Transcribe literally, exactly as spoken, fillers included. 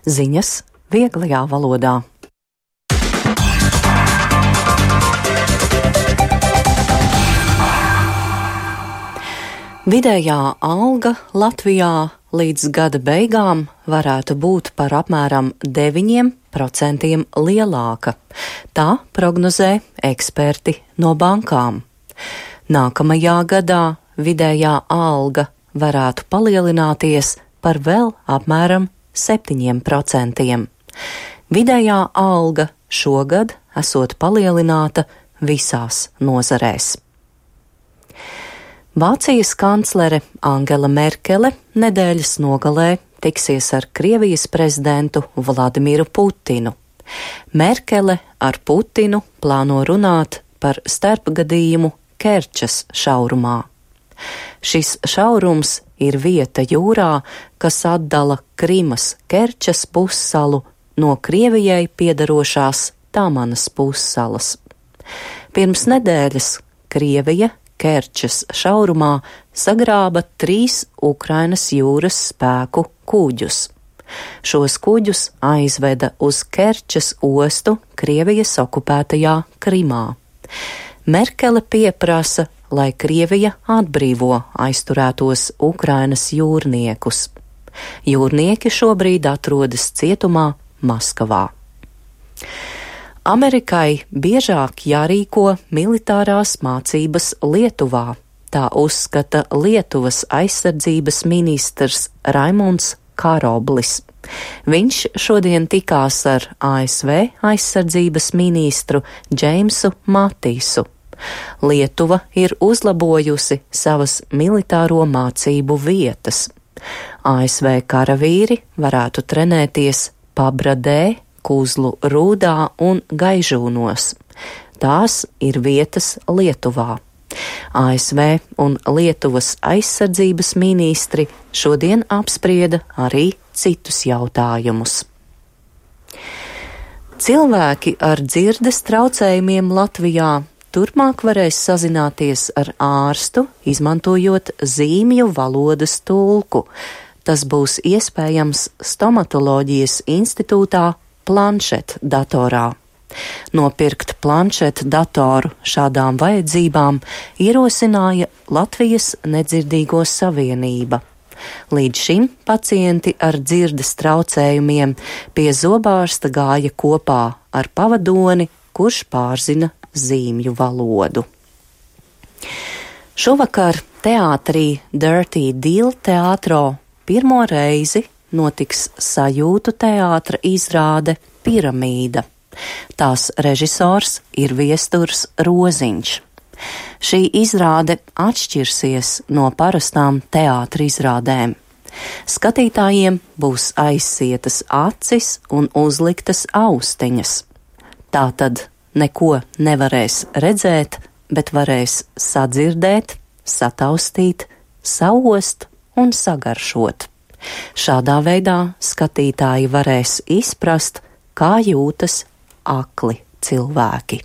Ziņas vieglajā valodā. Vidējā alga Latvijā līdz gada beigām varētu būt par apmēram deviņiem procentiem lielāka. Tā prognozē eksperti no bankām. Nākamajā gadā vidējā alga varētu palielināties par vēl apmēram septiņiem procentiem. Vidējā alga šogad esot palielināta visās nozarēs. Vācijas kanclere Angela Merkele nedēļas nogalē tiksies ar Krievijas prezidentu Vladimiru Putinu. Merkele ar Putinu plāno runāt par starpgadījumu Kerčas šaurumā. Šis šaurums ir vieta jūrā, kas atdala Krimas Kerčas pussalu no Krievijai piederošās Tamanas pussalas. Pirms nedēļas Krievija Kerčas šaurumā sagrāba trīs Ukrainas jūras spēku kuģus. Šos kuģus aizveda uz Kerčas ostu Krievijas okupētajā Krimā. Merkele pieprasa, lai Krievija atbrīvo aizturētos Ukrainas jūrniekus. Jūrnieki šobrīd atrodas cietumā Maskavā. Amerikai biežāk jārīko militārās mācības Lietuvā, tā uzskata Lietuvas aizsardzības ministrs Raimunds Karoblis. Viņš šodien tikās ar A S V aizsardzības ministru Džeimsu Matisu. Lietuva ir uzlabojusi savas militāro mācību vietas. A S V karavīri varētu trenēties Pabradē, Kuzlu Rūdā un Gaižūnos. Tās ir vietas Lietuvā. A S V un Lietuvas aizsardzības ministri šodien apsprieda arī citus jautājumus. Cilvēki ar dzirdes traucējumiem Latvijā turpmāk varēs sazināties ar ārstu, izmantojot zīmju valodas tulku. Tas būs iespējams stomatoloģijas institūtā planšetdatorā. Nopirkt planšetdatoru šādām vajadzībām ierosināja Latvijas Nedzirdīgo savienība. Līdz šim pacienti ar dzirdes traucējumiem pie zobārsta gāja kopā ar pavadoni, kurš pārzina zīmju valodu. Šovakar teātrī Dirty Deal teātro pirmo reizi notiks sajūtu teātra izrāde Piramīda. Tās režisors ir Viesturs Roziņš. Šī izrāde atšķirsies no parastām teātra izrādēm. Skatītājiem būs aizsietas acis un uzliktas austiņas. Tātad neko nevarēs redzēt, bet varēs sadzirdēt, sataustīt, saost un sagaršot. Šādā veidā skatītāji varēs izprast, kā jūtas akli cilvēki.